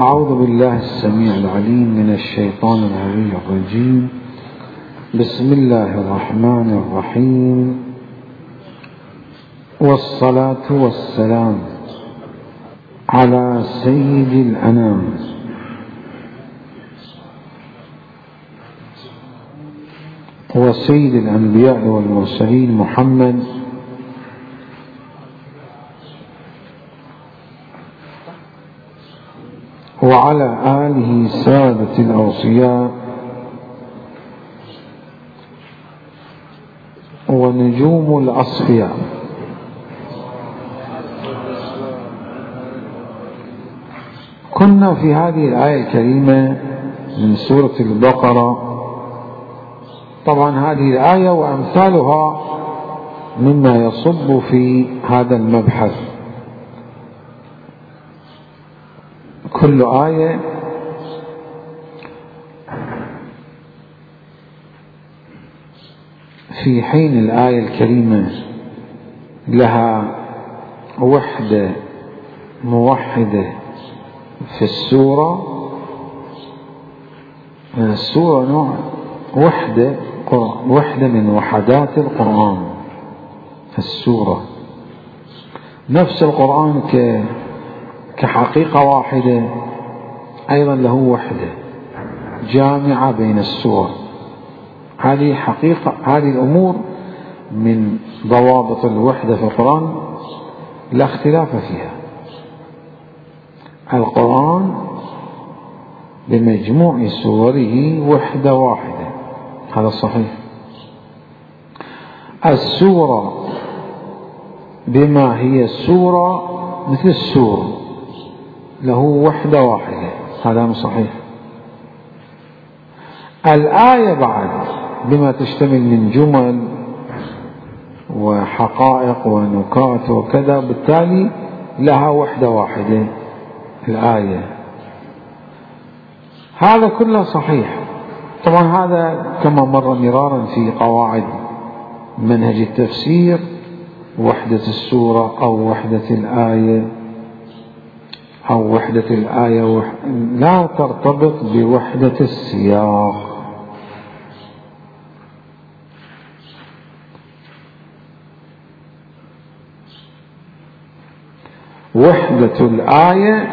أعوذ بالله السميع العليم من الشيطان العلي الرجيم. بسم الله الرحمن الرحيم، والصلاة والسلام على سيد الأنام وسيد الأنبياء والمرسلين محمد وعلى آله سادة الأوصياء ونجوم الأصفياء. كنا في هذه الآية الكريمة من سورة البقرة. طبعا هذه الآية وأمثالها مما يصب في هذا المبحث. كل آية في حين الآية الكريمة لها وحدة موحدة في السورة نوع وحدة من وحدات القرآن في السورة. نفس القرآن كحقيقة واحدة أيضا له وحدة جامعة بين السور. هذه حقيقة، هذه الأمور من ضوابط الوحدة في القرآن لا اختلاف فيها. القرآن بمجموع سوره وحدة واحدة، هذا صحيح. السورة بما هي السورة مثل السور له وحدة واحدة، هذا صحيح. الآية بعد بما تشتمل من جمل وحقائق ونكات وكذا، بالتالي لها وحدة واحدة الآية. هذا كله صحيح. طبعا هذا كما مر مرارا في قواعد منهج التفسير، وحدة السورة أو وحدة الآية لا ترتبط بوحدة السياق. وحدة الآية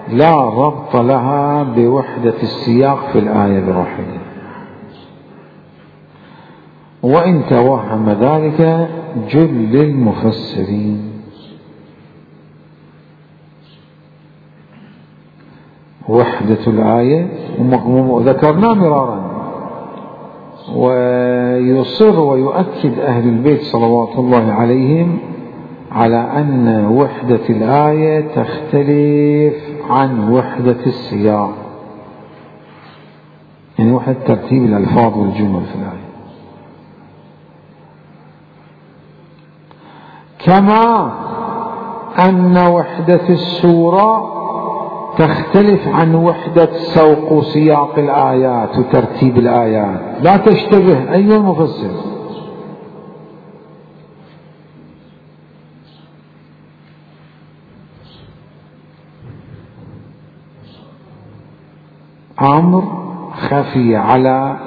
لا ربط لها بوحدة السياق في الآية الواحدة، وإن توهم ذلك جل المفسرين. وحدة الآية ذكرنا مرارا، ويصر ويؤكد أهل البيت صلوات الله عليهم على أن وحدة الآية تختلف عن وحدة السياق، يعني وحدة ترتيب الألفاظ والجمل في الآية. كما أن وحدة السورة تختلف عن وحدة سوق سياق الآيات وترتيب الآيات، لا تشتبه أيها المفسر. أمر خفي على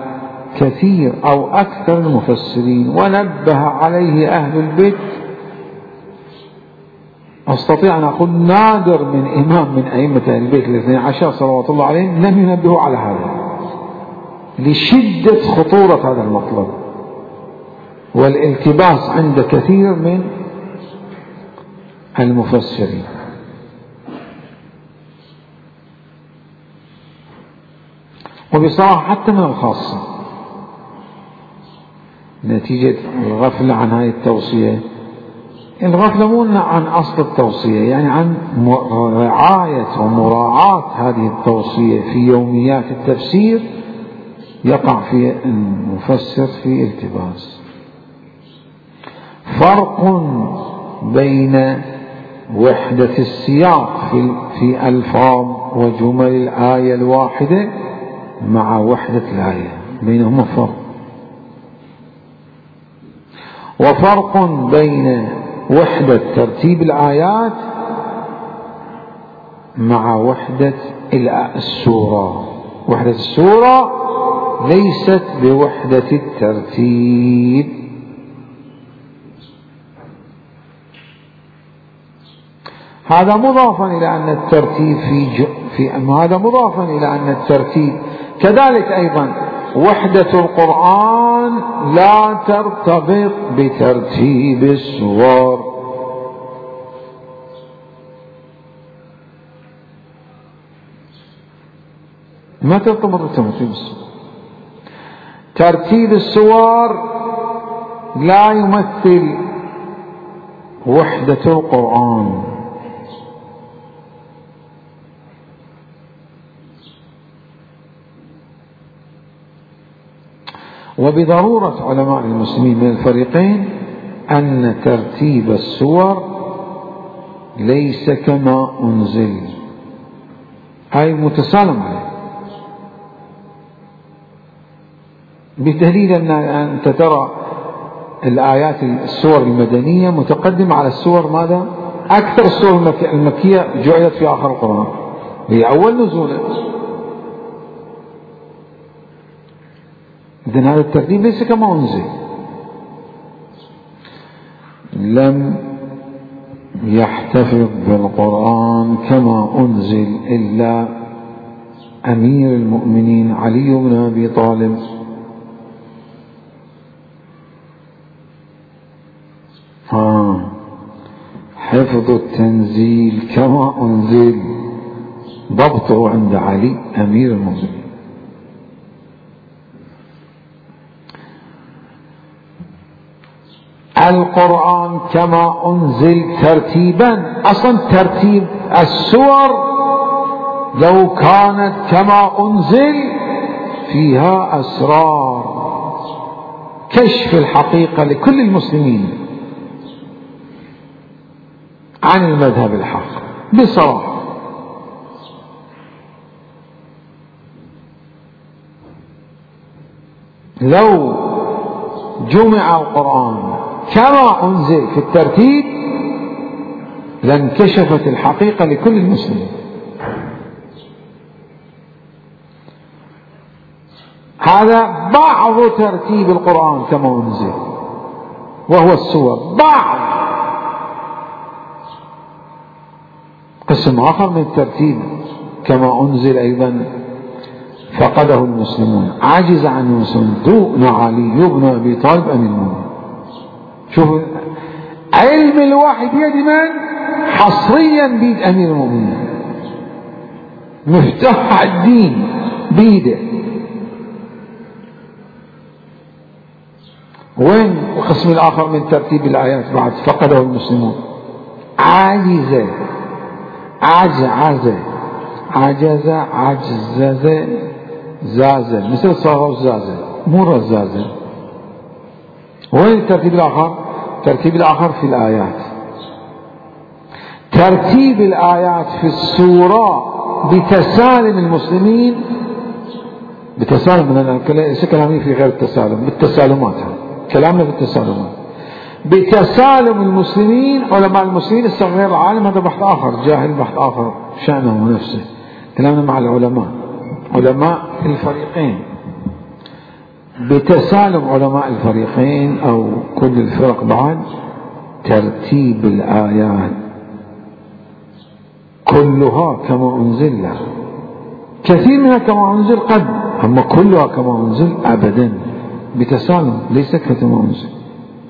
كثير أو أكثر المفسرين ونبه عليه أهل البيت. أستطيع أن أقول نادر من إمام من أئمة أهل البيت الاثني عشر صلوات الله عليهم لم ينبهوا على هذا، لشدة خطورة هذا المطلب والالتباس عند كثير من المفسرين. وبصراحة حتى من الخاصة نتيجة الغفلة عن هذه التوصية. الغفلة مو عن أصل التوصية، يعني عن رعاية ومراعاة هذه التوصية في يوميات التفسير، يقع في المفسر في التباس. فرق بين وحدة السياق في ألفاظ وجمل الآية الواحدة مع وحدة الآية، بينهما فرق. وفرق بين وحدة ترتيب الآيات مع وحدة السورة. وحدة السورة ليست بوحدة الترتيب. هذا مضافا إلى أن الترتيب هذا مضافا إلى أن الترتيب كذلك أيضا وحدة القرآن لا ترتبط بترتيب السور. ما ترتبط بترتيب السور. ترتيب السور لا يمثل وحدة القرآن. وبضرورة علماء المسلمين من الفريقين أن ترتيب السور ليس كما أنزل، أي متسالم عليه، بدليل أن أنت ترى الآيات السور المدنية متقدمة على السور ماذا؟ أكثر السور المكية جعلت في آخر القرآن، هي أول نزوله. إذن هذا الترتيب ليس كما أنزل. لم يحتفظ بالقرآن كما أنزل إلا أمير المؤمنين علي بن أبي طالب حفظ التنزيل كما أنزل ضبطه عند علي أمير المؤمنين. القرآن كما أنزل ترتيبا، أصلا ترتيب السور لو كانت كما أنزل فيها أسرار كشف الحقيقة لكل المسلمين عن المذهب الحق بصراحة. لو جمع القرآن كما أنزل في الترتيب لانكشفت الحقيقة لكل المسلمين. هذا بعض ترتيب القرآن كما أنزل وهو السور، بعض. قسم آخر من الترتيب كما أنزل أيضا فقده المسلمون، عجز عنه المسلمون دون علي بن أبي طالب أمير المؤمنين. شوفوا علم الوحي بيد من؟ حصريا بيد أمير المؤمنين، مفتاح الدين بيده. وين القسم الآخر من ترتيب الآيات بعد فقده المسلمون؟ عجز زازة مثل صاغة الزازة مو رزازة. وين الترتيب الآخر؟ الترتيب الآخر في الآيات. ترتيب الآيات في السورة بتسالم المسلمين، بتسالم، ليس كلامي في غير التسالم، بالتسالمات، كلامنا في التسالمات. بتسالم المسلمين، علماء المسلمين الصغير العالم، هذا بحث آخر، جاهل بحث آخر شأنه ونفسه. كلامنا مع العلماء، علماء الفريقين، بتسالم علماء الفريقين أو كل الفرق بعد ترتيب الآيات كلها كما أنزل له، كثير منها كما أنزل قد، أما كلها كما أنزل أبدا، بتسالم ليس كما أنزل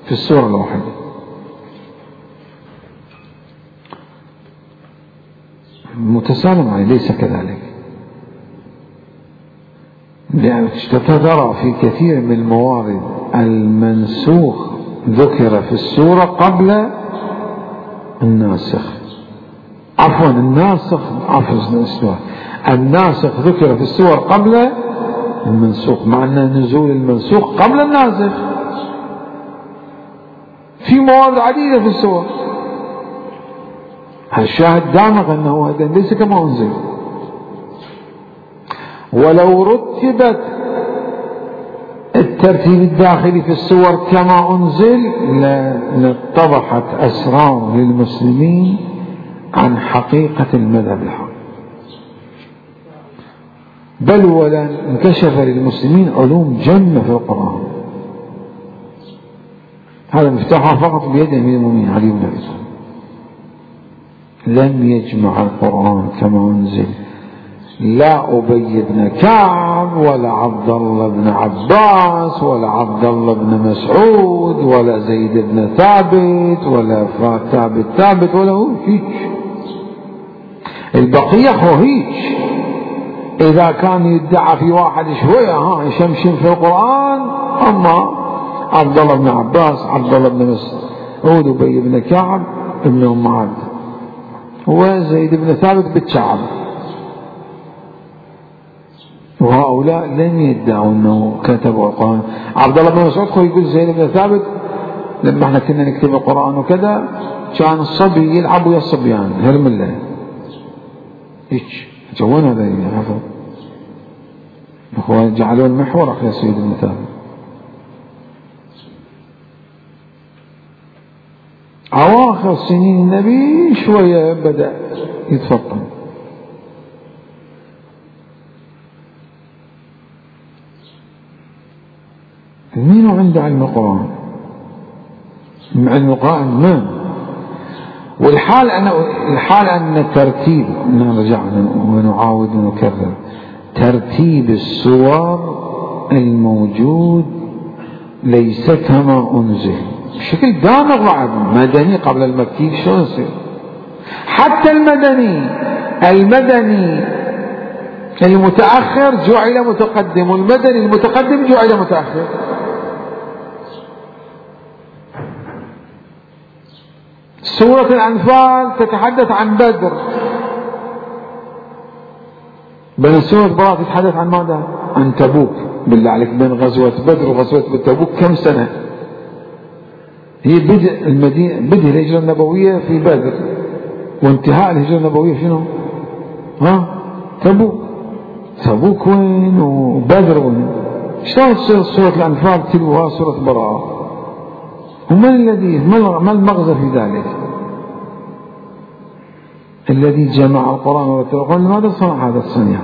في السورة الواحدة. متسالم عليه ليس كذلك، لأن ترى في كثير من الموارد المنسوخ ذكر في السورة قبل الناسخ، عفوا الناسخ، الناسخ ذكر في السور قبل المنسوخ، مع أن نزول المنسوخ قبل الناسخ في موارد عديدة في السور. الشاهد دامغ أنه هذا ليس كما أنزل. ولو رتبت الترتيب الداخلي في السور كما أنزل لاتضحت أسرار للمسلمين عن حقيقة المذهب الحق. بل ولا انكشف للمسلمين علوم جمة في القرآن. هذا مفتاحها فقط بيد أمير المؤمنين علي بن أبي طالب. لم يجمع القرآن كما أنزل لا أبي بن كعب ولا عبد الله بن عباس ولا عبد الله بن مسعود ولا زيد بن ثابت ولا ثابت ولا هو هيك. البقية هو هيك. إذا كان يدعى في واحد شوية يشمشم في القرآن، أما عبد الله بن عباس، عبد الله بن مسعود، أبي بن كعب ابن أم عبد، وزيد بن ثابت بالشعب، وهؤلاء لم يدعوا أنه كتبوا القرآن. عبد الله بن مسعود يقول زيد بن ثابت لما احنا كنا نكتب القرآن وكذا كان الصبي يلعب ويا الصبيان هرمله هيك. وين هذا يحفظ؟ اخوان جعلوا المحور اخي سيد بن ثابت. اواخر سنين النبي شويه بدا يتفطن. مين عنده علم القرآن؟ علم القرآن ما والحال أن الترتيب، نرجع ونعاود ونكرر، ترتيب السور الموجود ليس كما أنزل بشكل دامغ وعب. مدني قبل المكي شلون يصير؟ حتى المدني المتأخر جعل متقدم، والمدني المتقدم جعل متأخر. سورة الأنفال تتحدث عن بدر، بل سورة براءة تتحدث عن ماذا؟ عن تبوك. بالله عليك بين غزوة بدر وغزوة تبوك كم سنة؟ هي بدء الهجرة النبوية في بدر، وانتهاء الهجرة النبوية شنو؟ تبوك وين وبدر وين؟ شلون تصير سورة الأنفال تلوها سورة براءة؟ وما ما المغزى في ذلك؟ الذي جمع القرآن ورتل القرآن لماذا صنع هذا الصنيع؟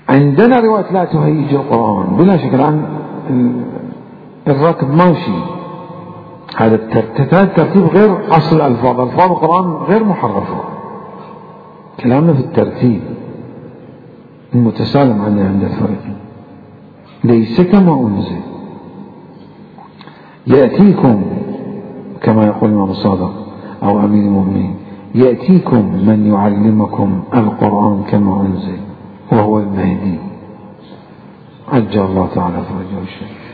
عندنا رواية لا تهيج القرآن بلا شك. عن الركب ماشي، هذا الترتيب غير أصل الألفاظ القرآن غير محرفة. كلامنا في الترتيب المتسالم عند الفريقين، ليس كما أنزل. يأتيكم كما يقول الإمام الصادق أو أمير المؤمنين، يأتيكم من يعلمكم القرآن كما أنزل وهو المهدي عجل الله تعالى فرجه الشريف.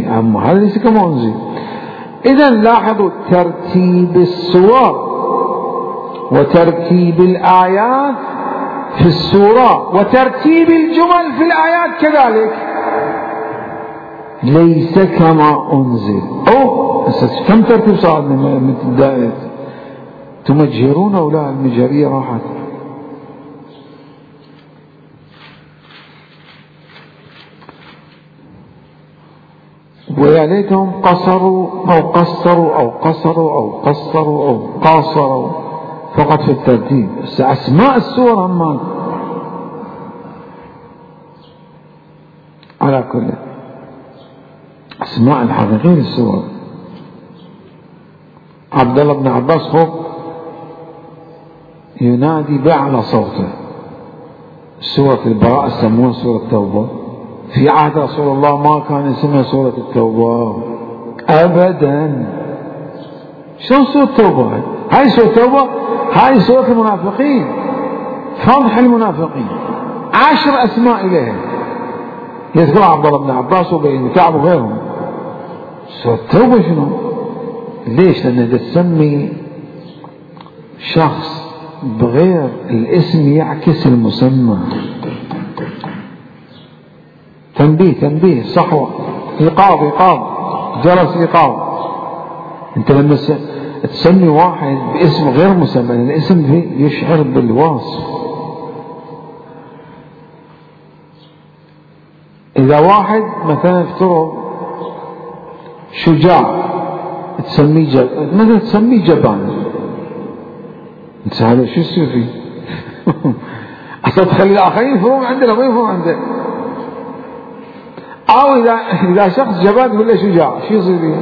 أما هذا ليس كما أنزل. إذا لاحظوا ترتيب السور وترتيب الآيات في السورة وترتيب الجمل في الآيات كذلك ليس كما أنزل. كم ترتيب صار من الدائرة؟ تمجهرون أو لا؟ المجهرية راحت. ويا ليتهم قصروا أو قاصروا فقط في الترتيب. أسماء السور هم على كل أسماء الحقيقية للسور. عبد الله بن عباس ينادي بأعلى صوته. سورة البراءة سموها سورة التوبة، في عهد رسول الله ما كان اسمها سورة التوبة أبدا. شلون سورة التوبة؟ هاي سورة التوبة، هاي سورة المنافقين، فضح المنافقين، 10 أسماء إليها يذكر عبد الله بن عباس وأبي بن كعب وغيرهم. سورة التوبة شنو؟ ليش؟ لأنها تسمي شخص بغير الاسم يعكس المسمى. تنبيه صحوة، إيقاظ جرس إيقاظ. أنت لما تسمي واحد باسم غير مسمى، الاسم يشعر بالوصف. إذا واحد مثلا افترض شجاع تسميه مثلا تسميه جبان، انت هذا شو يصير فيه؟ أصلا تخلي الآخرين يفهمون عندنا ما يفهمون عندنا. أو إذا شخص جبان ولا شجاع شو يصير فيه؟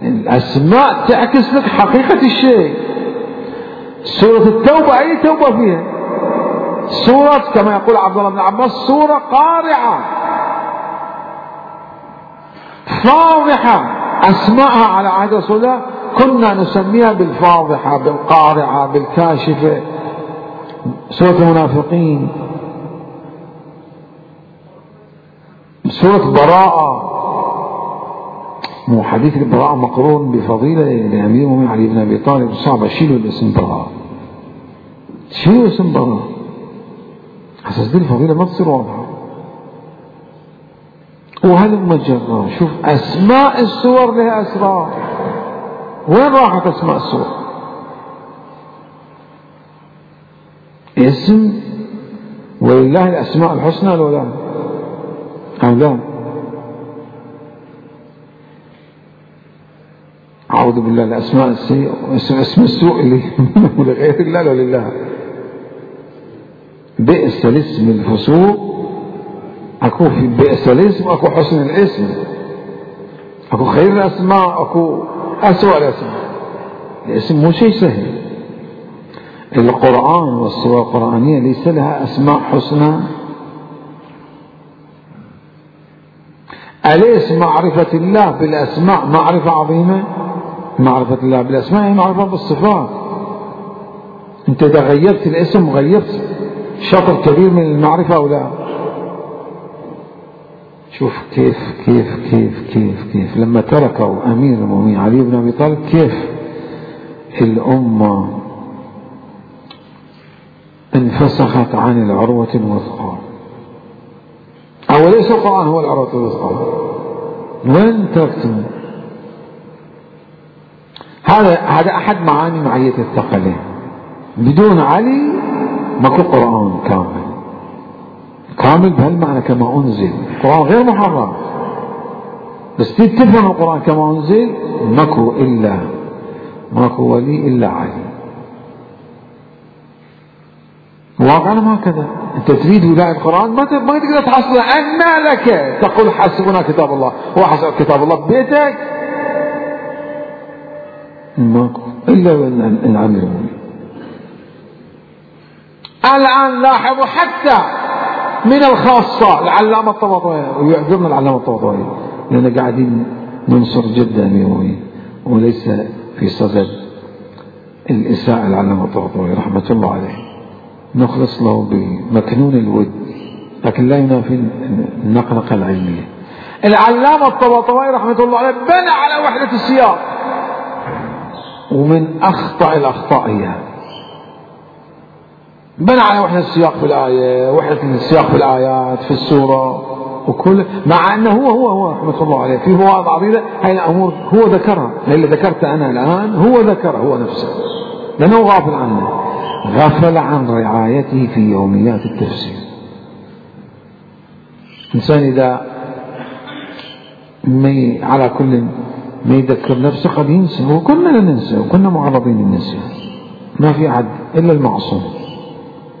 الأسماء تعكس لك حقيقة الشيء. سورة التوبة أي توبة فيها؟ سورة كما يقول عبد الله بن عباس سورة قارعة فاضحة. أسماءها على عهد رسول الله كنا نسميها بالفاضحة بالقارعة بالكاشفة. سورة المنافقين، سورة براءة. مو حديث البراءة مقرون بفضيلة لأمير المؤمنين علي بن أبي طالب. صعب شيلوا الاسم براءة، شيلوا اسم براءة أساس دي الفضيلة ما تصير واضحة. وهل مجرى شوف أسماء السور لها أسرار. وين راحت أسماء السور؟ اسم ولله الأسماء الحسنى ولا لا؟ أو لا؟ أعوذ بالله الأسماء السيئة اسم السوء اللي لغير الله ولا لله. بئس الاسم الفسوق. أكو في بئس الاسم أكو حسن الاسم، أكو خير الأسماء أكو أسوأ الأسماء. الاسم مو شيء سهل. القرآن والسور القرآنية ليس لها أسماء حسنى. أليس معرفة الله بالأسماء معرفة عظيمة؟ معرفة الله بالأسماء هي معرفة بالصفات. أنت إذا غيرت الاسم غيرت شطر كبير من المعرفة أو لا؟ شوف كيف كيف كيف كيف كيف لما تركوا أمير المؤمنين علي بن أبي طالب كيف الأمة انفسخت عن العروة الوثقى. أو ليس القرآن هو العروة الوثقى؟ وين تركتم؟ هذا أحد معاني معية الثقلين. بدون علي ماكو قرآن كامل. كامل بهالمعنى كما أنزل. القرآن غير محرم بس تفهم القرآن كما أنزل ماكو ولي إلا علي. واقعنا هكذا. أنت تريد ولاية القرآن ما تقدر تحصل. أن لك تقول حسبنا كتاب الله. هو حسب كتاب الله ببيتك؟ ماكو إلا الأمير المؤمنين. الآن لاحظوا حتى من الخاصة العلامة الطباطبائي، ويعذرنا العلامة الطباطبائي لأننا قاعدين ننصر جدا أمير المؤمنين وليس في صدد الإساءة العلامة الطباطبائي رحمة الله عليه. نخلص له بمكنون الود لكن لا ينافي النقنقة العلمية. العلامة الطباطبائي رحمة الله عليه بنى على وحدة السياق، ومن أخطأ الأخطاء هي بنى على وحدة السياق في الآية، وحدة السياق في الآيات في السورة وكل، مع أنه هو رحمة الله عليه في مواضع عديدة هاي الأمور هو ذكرها. اللي ذكرت أنا الآن هو ذكرها هو نفسه لأنه غافل عنه، غفل عن رعايته في يوميات التفسير. إنسان إذا على كل ما يذكر نفسه قد ينسى، وكنا ننسى وكنا معرضين للنسيان. ما في أحد إلا المعصوم،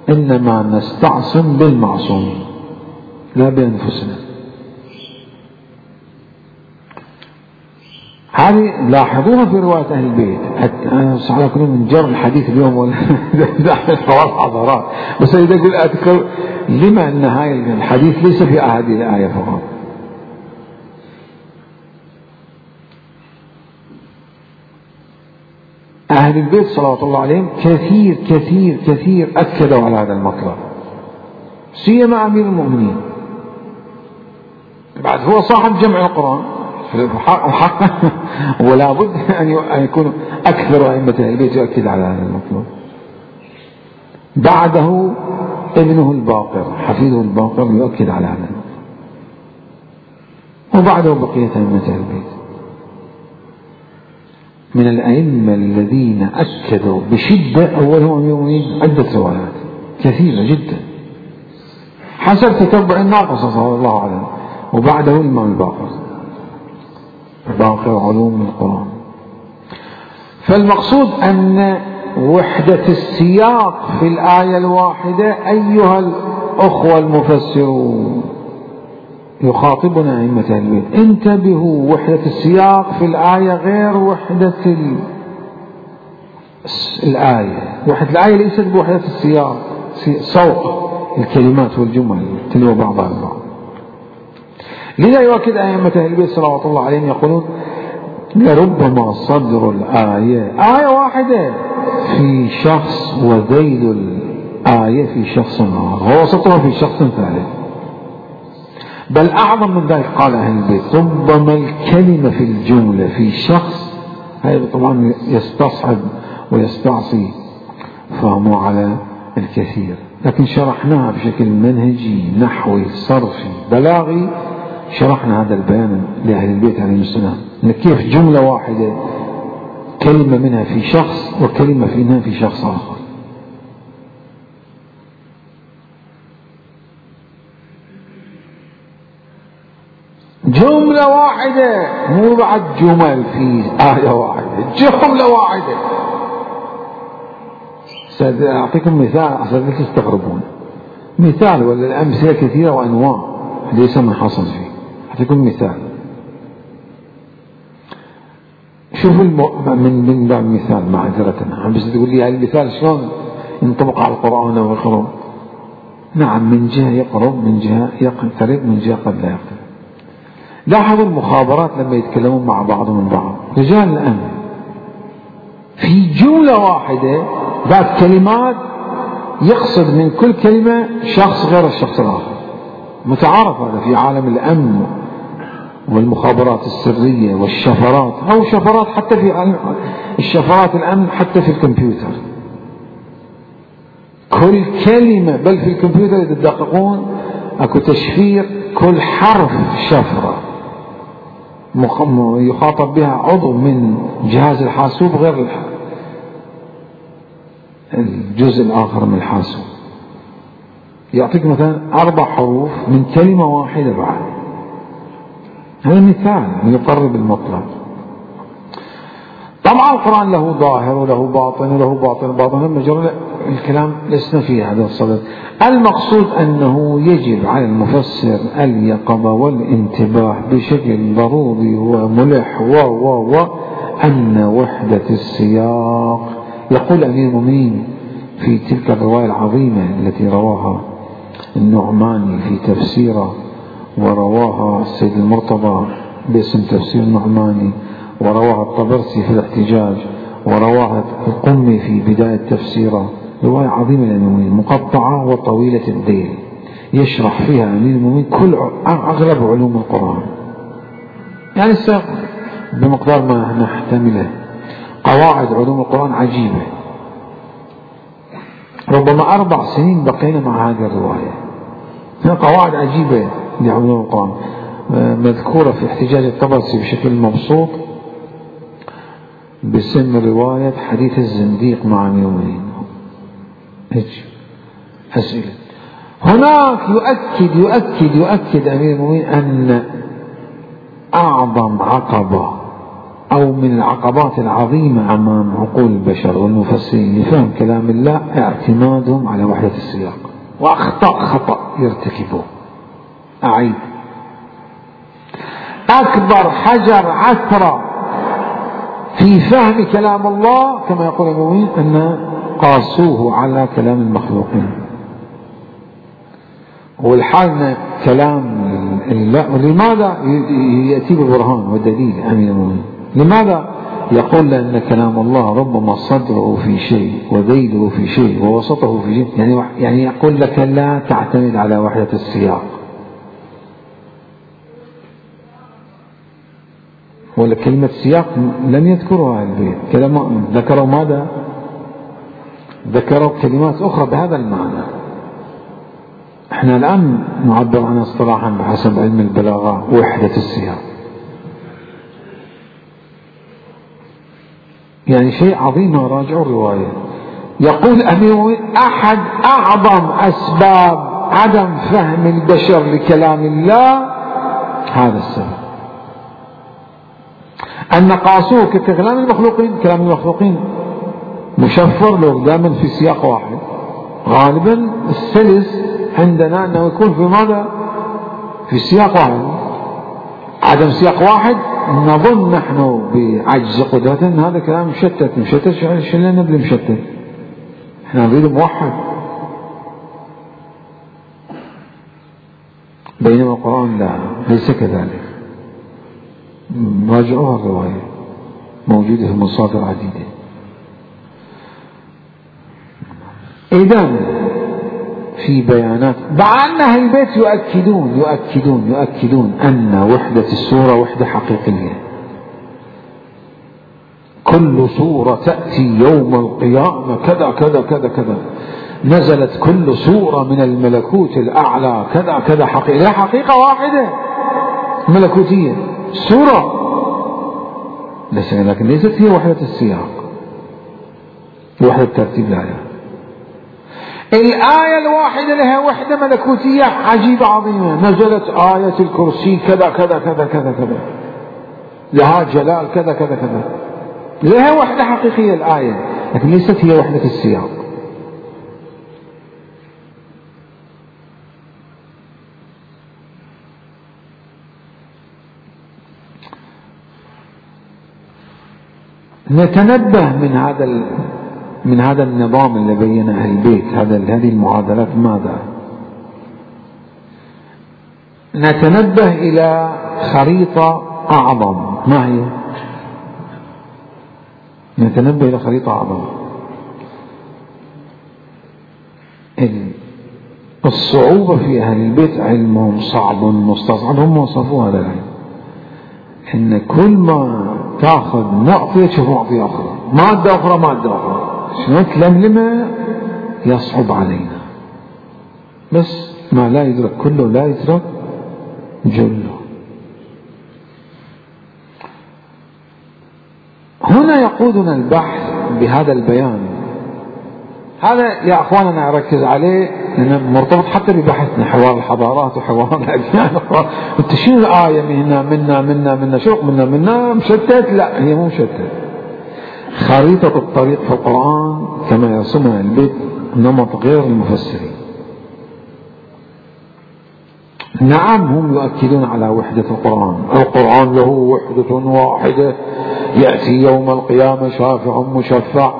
إنما نستعصم بالمعصومين لا بأنفسنا. هذه لاحظوها في رواية أهل البيت. أنا على كل من جر الحديث اليوم ولا حوار حضارات، بس إذا أقول أذكر لما أن هاي الحديث ليس في هذه الآية فقط. أهل البيت صلوات الله عليهم كثير كثير كثير أكدوا على هذا المطلب، سيما أمير المؤمنين. بعد هو صاحب جمع القرآن وحقا ولا بد أن يكون أكثر أئمة البيت يؤكد على هذا المطلب. بعده ابنه الباقر حفيده الباقر يؤكد على هذا المطلب، وبعده بقية أئمة البيت من الأئمة الذين أكدوا بشدة. أولهم أمير المؤمنين عدة روايات كثيرة جدا حسب تتبع الناقصة صلى الله عليه وسلم، وبعده الإمام الباقر باقر علوم القرآن. فالمقصود أن وحدة السياق في الآية الواحدة أيها الأخوة المفسرون، يخاطبنا أئمة أهل البيت، انتبهوا، وحدة السياق في الآية غير وحدة الآية. وحدة الآية ليست بوحدة السياق، سوق الكلمات والجمل تلو بعضها البعض. لذا يؤكد أئمة أهل البيت صلوات الله عليهم يقولون لربما صدر الآية آية واحدة في شخص وذيل الآية في شخص آخر ووسطها في شخص ثالث. بل أعظم من ذلك قال أهل البيت ربما الكلمة في الجملة في شخص، هذا طبعا يستصعب ويستعصي فهمه على الكثير، لكن شرحناها بشكل منهجي نحوي صرفي بلاغي. شرحنا هذا البيان لأهل البيت عليهم السلام أن كيف جملة واحدة كلمة منها في شخص وكلمة منها في شخص آخر. جملة واحدة، مو بعد جمل في آية واحدة، جملة واحدة. سأعطيكم مثال عشان لا تستغربون، مثال ولا الأمثلة كثيرة وأنواع ليس من حصل فيه. أعطيكم مثال، شوفوا من باب مثال معذرة، بس تقول لي هذا المثال شلون ينطبق على القرآن أو القرآن؟ نعم، من جهة يقرب، من جهة يقترب، من جهة قد لا يقترب. لاحظوا المخابرات لما يتكلمون مع بعضهم من بعض، رجال الأمن في جملة واحدة ذات كلمات يقصد من كل كلمة شخص غير الشخص الآخر. متعارف هذا في عالم الأمن والمخابرات السرية والشفرات، أو شفرات حتى في الشفرات الأمن حتى في الكمبيوتر. كل كلمة، بل في الكمبيوتر إذا تدققون أكو تشفير كل حرف شفرة يخاطب بها عضو من جهاز الحاسوب غير الجزء الآخر من الحاسوب. يعطيك مثلا 4 حروف من كلمة واحدة بعد. هذا مثال يقرب المطلب. طبعا القرآن له ظاهر وله باطن وله باطن مجرد الكلام لسنا في هذا الصدد. المقصود أنه يجب على المفسر اليقظة والانتباه بشكل ضروري وملح أن وحدة السياق. يقول أمير المؤمنين في تلك الرواية العظيمة التي رواها النعماني في تفسيره، ورواها السيد المرتضى باسم تفسير النعماني، ورواها الطبرسي في الاحتجاج، ورواها القمي في بداية تفسيره، رواية عظيمة للمؤمنين مقطعة وطويلة الذيل، يشرح فيها أمير المؤمنين أغلب علوم القرآن، يعني بمقدار ما نحتمله. قواعد علوم القرآن عجيبة. ربما 4 سنين بقينا مع هذه الرواية. قواعد عجيبة لعلوم القرآن مذكورة في احتجاج الطبرسي بشكل مبسوط باسم رواية حديث الزنديق مع أمير المؤمنين. أسئلة هناك يؤكد أمير المؤمنين أن أعظم عقبة أو من العقبات العظيمة أمام عقول البشر والمفسرين لفهم كلام الله اعتمادهم على وحدة السياق، خطأ يرتكبوه. أعيد، أكبر حجر عثرة في فهم كلام الله كما يقول المؤمنين أن قاسوه على كلام المخلوقين. والحال كلام الله، لماذا يأتي بالبرهان والدليل أمير المؤمنين؟ لماذا يقول لأن كلام الله ربما صدره في شيء وذيله في شيء ووسطه في شيء، يعني يقول لك لا تعتمد على وحدة السياق. ولا كلمة سياق لم يذكرها البيت، ذكروا ماذا؟ ذكروا كلمات أخرى بهذا المعنى. احنا الآن نعبر عنها اصطلاحا بحسب علم البلاغة وحدة السياق، يعني شيء عظيم. راجعوا الرواية. يقول أمير أحد أعظم أسباب عدم فهم البشر لكلام الله هذا السبب، أن قاسوه ككلام المخلوقين. كلام المخلوقين مشفر لو دائما في سياق واحد. غالبا السلس عندنا أنه يكون في ماذا؟ في سياق واحد. عدم سياق واحد نظن نحن بعجز قدرتنا هذا كلام مشتت. شو لنا بالمشتت؟ احنا نريد موحد. بينما القرآن لا، ليس كذلك. راجعوها الرواية موجودة في مصادر عديدة. إذن في بيانات مع أن أهل البيت يؤكدون أن وحدة السورة وحدة حقيقية. كل سورة تأتي يوم القيامة كذا كذا كذا كذا، نزلت كل سورة من الملكوت الأعلى كذا كذا، حقيقة. لا، حقيقة واحدة ملكوتية سورة، لكن ليست هي وحدة السياق، وحدة ترتيب الآيات. الآية الواحدة لها وحدة ملكوتية عجيبة عظيمة. نزلت آية الكرسي كذا كذا كذا كذا كذا، لها جلال كذا كذا كذا، لها وحدة حقيقية الآية، لكن ليست هي وحدة السياق. نتنبه من هذا النظام اللي بينه أهل البيت، هذه المعادلات. ماذا نتنبه إلى خريطة أعظم؟ ما هي؟ نتنبه إلى خريطة أعظم. الصعوبة في أهل البيت علمهم صعب مستصعب. هم وصفوا هذا العلم إن كل ما تأخذ نقطة تشوف نقطة أخرى، مادة أخرى شنو تلملمه يصعب علينا. بس ما لا يدرك كله لا يدرك جله. هنا يقودنا البحث بهذا البيان. هذا يا أخواننا أركز عليه لأنه مرتبط حتى ببحثنا، حوار الحضارات وحوار الأديان. أنت شنو الآية منا شوق منا مشتت؟ لا، هي مو مشتت. خريطة الطريق في القرآن كما يرسمها البيت نمط غير المفسرين. نعم، هم يؤكدون على وحدة القرآن له وحدة واحدة، يأتي يوم القيامة شافع مشفع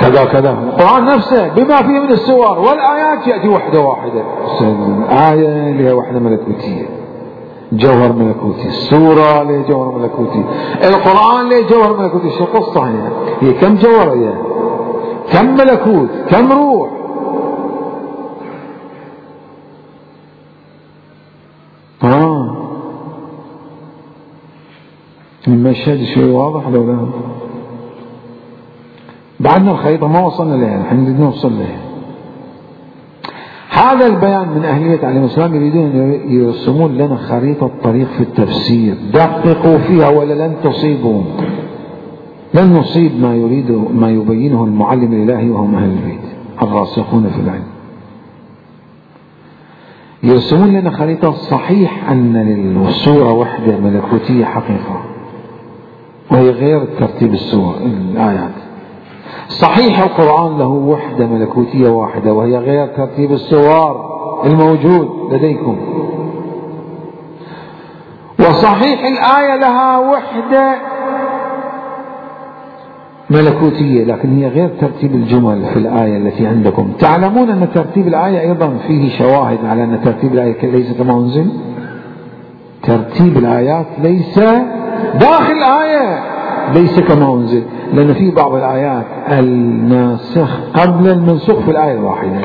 كذا كذا. القرآن نفسه بما فيه من السور والآيات يأتي وحدة واحدة. الآية لها وحدة ملكوتية، جوهر ملكوتي. السورة لها جوهر ملكوتي. القرآن له جوهر ملكوتي. شو قصة هي كم جوهر، هي كم ملكوت، كم روح. المشهد شيء واضح لو لا؟ بعدنا الخريطة ما وصلنا لها، نحن نريد نوصل لها. هذا البيان من أهل البيت عليهم السلام يريدون أن يرسمون لنا خريطة طريق في التفسير. دققوا فيها ولا لن تصيبوا، لن نصيب ما يبينه المعلم الإلهي وهم أهل البيت الراسخون في العلم. يرسمون لنا خريطة. صحيح أن للسورة وحدة ملكوتية حقيقة، وهي غير ترتيب السور الآيات. صحيح القرآن له وحدة ملكوتية واحدة، وهي غير ترتيب السور الموجود لديكم. وصحيح الآية لها وحدة ملكوتية، لكن هي غير ترتيب الجمل في الآية التي عندكم. تعلمون أن ترتيب الآية أيضا فيه شواهد على أن ترتيب الآية ليس كما أنزل. ترتيب الآيات ليس داخل الآية، ليس كما أنزل، لأن في بعض الآيات الناسخ قبل المنسوخ في الآية الواحدة.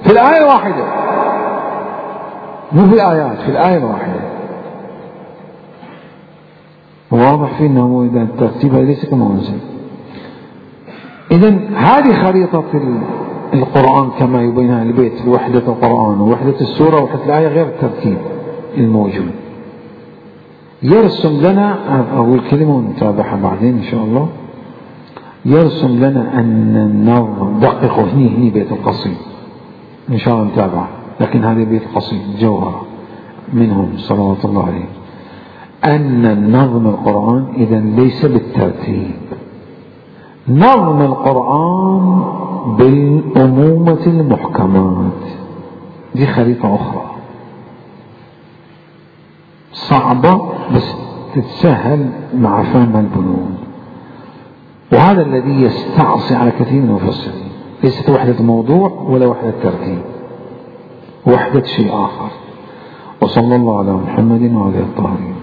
في الآية الواحدة، مو في الآيات، في الآية الواحدة. واضح فيه أنه إذا ترتيبها ليس كما أنزل. إذن هذه خريطة القرآن كما يبينها البيت، وحدة القرآن ووحدة السورة ووحدة الآية غير الترتيب الموجود. يرسم لنا، أقول كلمة ونتابعها بعدين إن شاء الله. يرسم لنا أن النظم، دققوا هني بيت القصيد إن شاء الله نتابعه، لكن هذا بيت القصيد جوهرة منهم صلوات الله عليه. أن النظم القرآن إذن ليس بالترتيب، نظم القرآن بالأمومة المحكمات، دي خريطة أخرى صعبة بس تتسهل مع فهم البنود، وهذا الذي يستعصي على كثير من المفسرين. ليست وحدة موضوع ولا وحدة ترتيب، وحدة شيء آخر. وصلى الله على محمد وعلى آله الطاهرين.